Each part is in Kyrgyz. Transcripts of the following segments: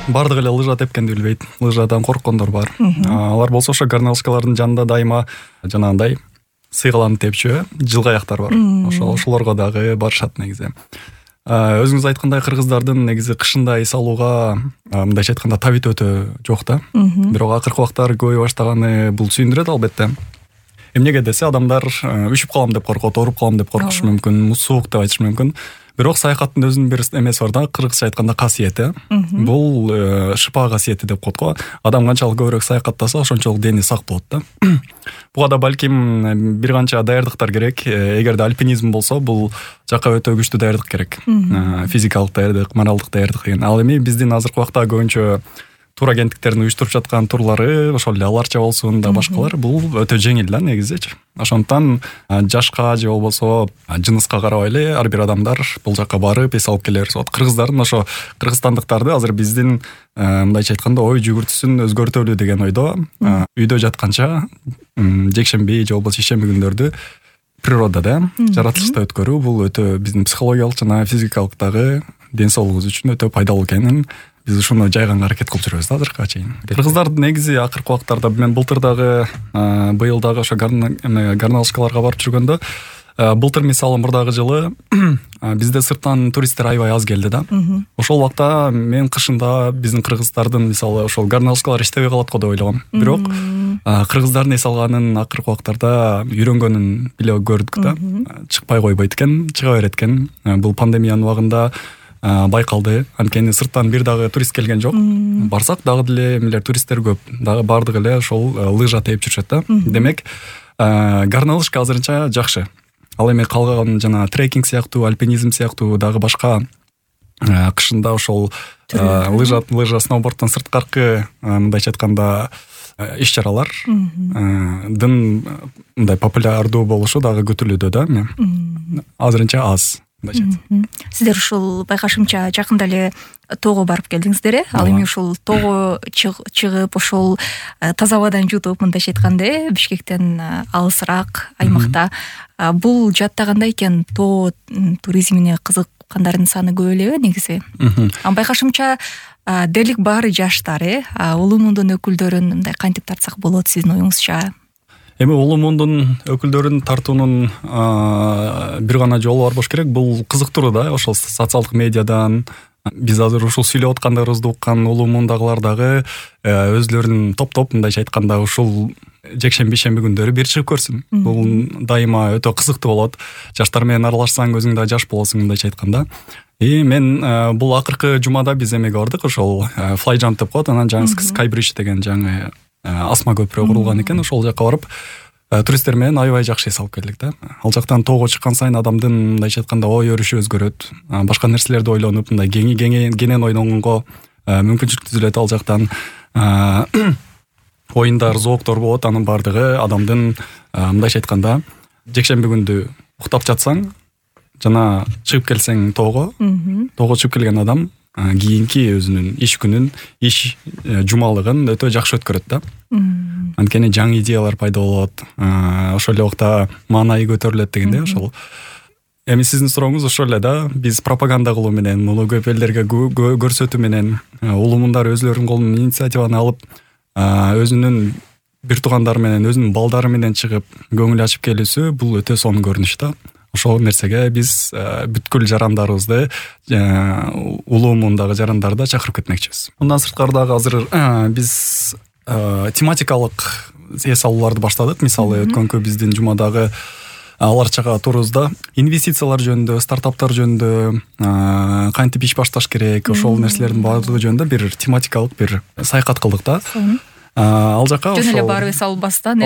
бардыгы эле лыжа тепкенди билбейт, лыжадан корккондор бар. Алар болсо ошо гарналышкалардын жанында дайыма жанагындай сыйгаланып тепчү жылгаяктар бар. Ошолорго дагы барышат негизи. Өзүңүз айткандай кыргыздардын негизи кышында эс алууга мындайча айтканда табит өтө жок да. Бирок акыркы убактар көбөйө баштаганы бул сүйүндүрөт албетте. Эмнеге десе адамдар үшүп калам деп коркот, ооруп калам деп коркушу мүмкүн, суук деп айтышы мүмкүн. Бирок саякаттын өзүнүн бир эмеси бар да, кыргызча айтканда касиети. Бул шыпа касиети деп коет го. Адам канчалык көбүрөөк саякаттаса, ошончолук дени сак болот да. Буга да балким бир канча даярдыктар керек. Эгерде альпинизм болсо, бул жакка өтө күчтүү даярдык керек. Физикалык даярдык, моралдык даярдык деген. Ал эми биздин азыркы убакта көбүнчө тур агенттиктердин уюштуруп жаткан турлары, ошол эле аларча болсун да башкалар, бул өтө жеңил да негизичи. Ошондуктан жашка же болбосо жыныска карабай эле ар бир адамдар бул жакка барып эс алып келе берсе болот. Кыргыздардын ошо кыргызстандыктарды азыр биздин мындайча айтканда ой жүгүртүүсүн өзгөртөлү деген ойдо үйдө жатканча жекшемби же болбосо ишемби күндөрдү природада, жаратылышта өткөрүү бул өтө биздин психологиялык жана физикалык дагы ден соолугубуз үчүн өтө пайдалуу экенин биз ушуну жайганга аракет кылып жүрөбүз да азыркыга чейин. Кыргыздар негизи акыркы убактарда мен былтыр дагы быйыл дагы ошо гарналышкаларга барып жүргөндө, былтыр мисалы мурдагы жылы бизде сырттан туристтер аябай аз келди да. Ошол убакта мен кышында биздин кыргыздардын мисалы ошол гарналышкалар иштебей калат го деп ойлогом. Бирок кыргыздардын эс алганын акыркы убактарда үйрөнгөнүн биле көрдүк да. Чыкпай койбойт экен, чыга берет экен. Бул пандемиянын убагында байкалды. Анткени сырттан бир дагы турист келген жок. Барсак дагы деле эмелер туристтер көп. Дагы бардыгы эле ошол лыжа тееп жүрүшөт да. Демек, гарналышка азырынча жакшы. Ал эми калган жана трекинг сыяктуу, альпинизм сыяктуу дагы башка кышында ошол лыжа, сноуборддон сырткаркы мындайча айтканда иш-чаралардын мындай популярдуу болушу дагы күтүлүүдө да. Азырынча аз. Сиздер ушул байкашымча жакында эле тоого барып келдиңиздер. Ал эми ушул тоого чыгып ошол таза абадан жутуп, мындайча айтканда, Бишкектен алысыраак аймакта бул жаатта кандай экен? Тоо туризмине кызыккандардын саны көп элеби негизи? Байкашымча дерлик баары жаштар, улуу мундун өкүлдөрүн мындай кантип тартсак болот сиздин оюңузча? Эми улуу мундун өкүлдөрүн тартуунун бир гана жолу бар болуш керек. Бул кызыктыруу да, ошол социалдык медиадан биз азыр ушул сүйлөп аткандарыбызды уккан улуу мундагылар дагы өзлөрүнүн топ мындайча айтканда ушул жекшемби күндөрү бир чыгып көрсүн. Бул дайыма өтө кызыктуу болот. Жаштар менен аралашсаң өзүң да жаш болосуң мындайча айтканда. Мен бул акыркы жумада биз эмеге бардык, ошол Flyjump деп коет, анан жаңы Skybridge деген жаңы асма көпүрө курулган экен. Ошол жакка барып туристтер менен аябай жакшы эс алып келдик да. Ал жактан тоого чыккан сайын адамдын мындайча айтканда ой өрүшү өзгөрөт. Башка нерселерди ойлонуп, мындай кенен ойлонгонго мүмкүнчүлүк түзүлөт ал жактан. Оюндар, зооктор болот, анын бардыгы адамдын мындайча айтканда жекшемби күндү уктап жатсаң жана чыгып келсең тоого чыгып келген адам кийинки өзүнүн иш күнүн, иш жумалыгын өтө жакшы өткөрөт да. Анткени жаңы идеялар пайда болот, ошол эле убакта маанайы көтөрүлөт дегенде, ошол. Эми сиздин сурооңуз ошол эле да, биз пропаганда кылуу менен, муну көп элдерге көрсөтүү менен, улуу мундар өзлөрүнүн колунан инициативаны алып, өзүнүн бир туугандары менен, өзүнүн балдары менен чыгып көңүл ачып келүүсү бул өтө сонун көрүнүш да. Ошол нерсеге биз бүткүл жарандарыбызды, улуу мундагы жарандарды чакырып кетмекчибиз. Мындан сырткары дагы азыр биз тематикалык эс алууларды баштадык. Мисалы өткөнкү биздин жумадагы аларчага турубузда инвестициялар жөнүндө, стартаптар жөнүндө, кантип иш башташ керек, ошол нерселердин баардыгы жөнүндө бир тематикалык бир саякат кылдык да. Ал жака жөн эле барып эс албастан,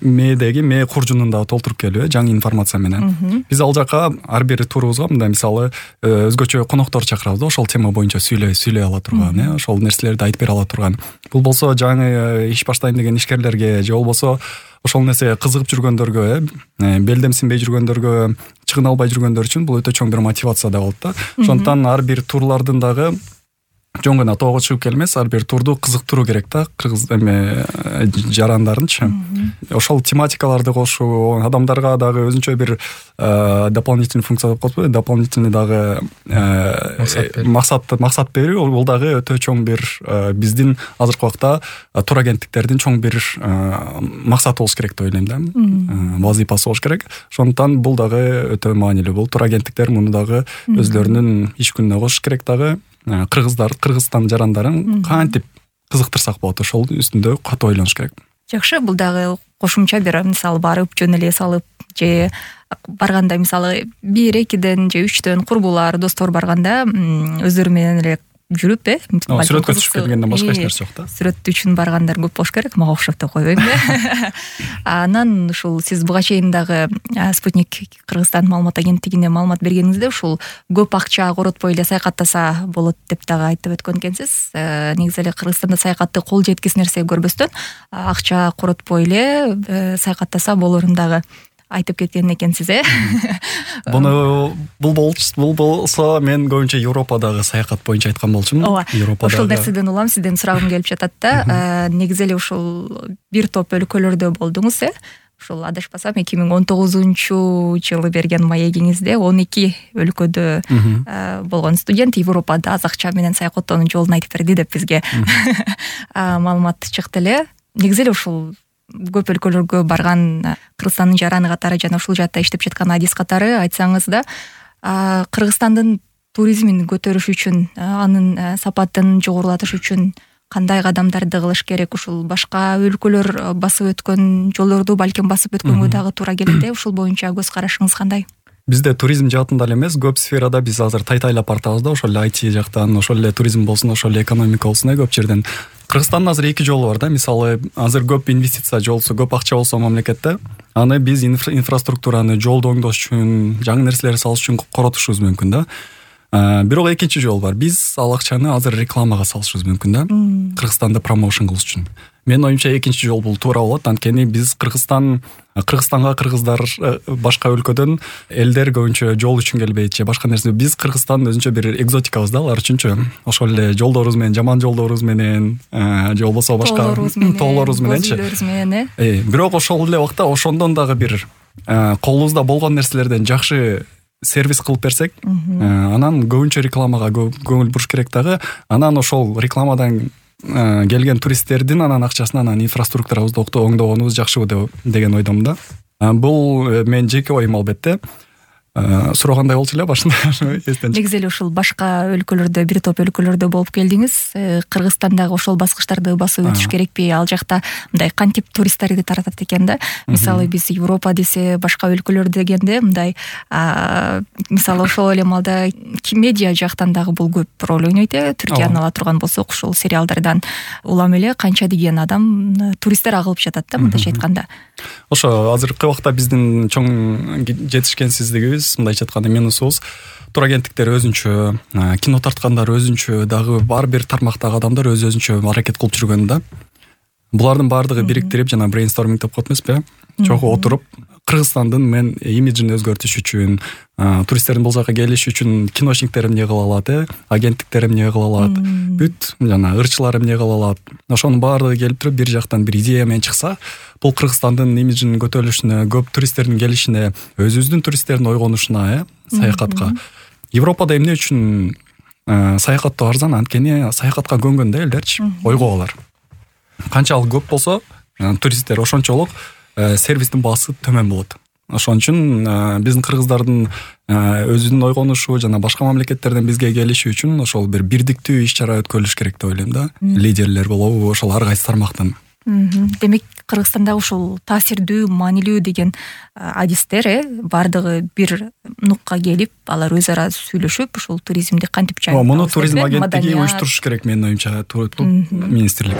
мээ куржунунда толтуруп келүү, жаңы информация менен. Биз ал жака ар бир турубузга мындай мисалы өзгөчө коноктор чакырабыз да, ошол тема боюнча сүйлөй ала турган, ошол нерселерди айтып бере ала турган. Бул болсо жаңы иш баштайм деген ишкерлерге же болбосо ошол нерсеге кызыгып жүргөндөргө, белдемсинбей жүргөндөргө, чыгына албай жүргөндөр үчүн бул өтө чоң бир мотивация да болот да. Ошондуктан ар бир турлардын дагы жөн гана тоого чыгып келмес, ар бир турду кызыктыруу керек да кыргыз жарандарынчы. Ошол тематикаларды кошуу, адамдарга дагы өзүнчө бир дополнительный функция деп коебузбу, дополнительный дагы максат берүү, бул дагы өтө чоң бир биздин азыркы убакта турагенттиктердин чоң бир максаты болуш керек деп ойлойм да. Вазыйпасы болуш керек. Ошондуктан бул дагы өтө маанилүү. Бул турагенттиктер муну дагы өзлөрүнүн иш күнүнө кошуш керек дагы. Кыргызстан жарандарын кантип кызыктырсак болот, ошол үстүндө катуу ойлонуш керек. Жакшы, бул дагы кошумча бир мисалы барып жөн эле салып же барганда мисалы 1-2ден же 3төн курбулар, достор барганда өздөрү менен эле жүрүп сүрөткө түшүп келгенден башка эч нерсе жок да. Сүрөт үчүн баргандар көп болуш керек, мага окшоп деп койбойм да. Анан ушул сиз буга чейин дагы Спутник Кыргызстан маалымат агенттигине маалымат бергениңизде ушул көп акча коротпой эле саякаттаса болот деп дагы айтып өткөн экенсиз. Негизи эле Кыргызстанда саякатты кол жеткис нерсе көрбөстөн акча коротпой эле саякаттаса болорун дагы айтып кеткен экенсиз, Бул болсо мен көбүнчө Европадагы саякат боюнча айткан болчумун. Европадагы. Ошол нерседен улам сизден сурагым келип жатат да. Негизи эле ушул бир топ өлкөлөрдө болдуңуз, Ушул адашпасам 2019-жылы берген маегиңизде 12 өлкөдө болгон студент Европада аз акча менен саякаттоонун жолун айтып берди деп бизге маалымат чыкты эле. Негизи эле ушул көп өлкөлөргө барган Кыргызстандын жараны катары жана ушул жакта иштеп жаткан адис катары айтсаңыз да, Кыргызстандын туризмин көтөрүш үчүн, анын сапатын жогорулатыш үчүн кандай кадамдарды кылыш керек? Ушул башка өлкөлөр басып өткөн жолдорду балким басып өткөнгө дагы туура келет. Ушул боюнча көз карашыңыз кандай? Бизде туризм жаатында эле эмес, көп сферада биз азыр тайтайлап бартабыз да, ошол эле IT жактан, ошол эле туризм болсун, ошол эле экономика болсун, көп жерден. Кыргызстандын азыр 2 жолу бар да. Мисалы, азыр көп инвестиция жолсу, көп акча болсо мамлекетте, аны биз инфраструктураны жолду оңдош үчүн, жаңы нерселер салыш үчүн коротушубуз мүмкүн да. Бирок экинчи жол бар. Биз ал акчаны азыр рекламага салышыбыз мүмкүн да. Кыргызстанды промоушн кылыш үчүн. Менин оюмча экинчи жол бул туура болот. Анткени биз Кыргызстанга кыргыздар башка өлкөдөн элдер көбүнчө жол үчүн келбейт же башка нерсе. Биз Кыргызстан өзүнчө бир экзотикабыз да алар үчүнчү. Ошол эле жолдорубуз менен, жаман жолдорубуз менен, же болбосо башка тоолорубуз мененчи. Бирок ошол эле убакта ошондон дагы бир колубузда болгон нерселерден жакшы сервис кылып берсек, анан көбүнчө рекламага көңүл буруш керек дагы. Анан ошол рекламадан келген туристтердин анан акчасын анан инфраструктурабызды оңдогонубуз жакшыбы деген ойдомун да. Бул менин жеке оюм албетте. Сурагандай болчу эле башында. Негизи эле ушул башка өлкөлөрдө, бир топ өлкөлөрдө болуп келдиңиз. Кыргызстандагы ошол баскычтарды басып өтүш керекпи? Ал жакта мындай кантип туристтерди таратат экен да? Мисалы биз Европа десе, башка өлкөлөр дегенде мындай мисалы ошол эле малда медиа жактан дагы бул көп роль ойнойт. Түркияны ала турган болсок, ушул сериалдардан улам эле канча деген адам туристтер агылып жатат да, мындайча айтканда. Ошо азыркы убакта биздин чоң жетишкенсиздигибиз, мындайча айтканда минусубуз, турагенттиктер өзүнчө, кино тарткандар өзүнчө, дагы бар бир тармактагы адамдар өзүнчө аракет кылып жүргөн да. Булардын баардыгы бириктирип, жана брейнсторминг деп коет эмеспи? Чогуу отуруп, Кыргызстандын мен имиджин өзгөртүш үчүн, туристтердин бул жака келиши үчүн киношниктер эмне кыла алат, агенттиктер эмне кыла алат, бүт жана ырчылар эмне кыла алат. Ошонун баардыгы келип туруп бир жактан бир идея менен чыкса, бул Кыргызстандын имиджинин көтөрүлүшүнө, көп туристтердин келишине, өзүбүздүн туристтердин ойгонушуна, саякатка. Европада эмне үчүн саякаттоо арзан? Анткени саякатка көнгөн да элдерчи, ойгоолар. Канчалык көп болсо, туристтер ошончолук сервистин баасы төмөн болот. Ошон үчүн биздин кыргыздардын өзүнүн ойгонушу жана башка мамлекеттерден бизге келиши үчүн ошол бир бирдиктүү иш-чара өткөрүлүш керек деп ойлойм да. Лидерлер болобу, ошол ар кайсы тармактан. Демек, Кыргызстанда ушул таасирдүү, маанилүү деген адистер бардыгы бир нукка келип, алар өз ара сүйлөшүп, ушул туризмди кантип жайып. Муну туризм агенттиги уюштуруш керек, менин оюмча, министрлик.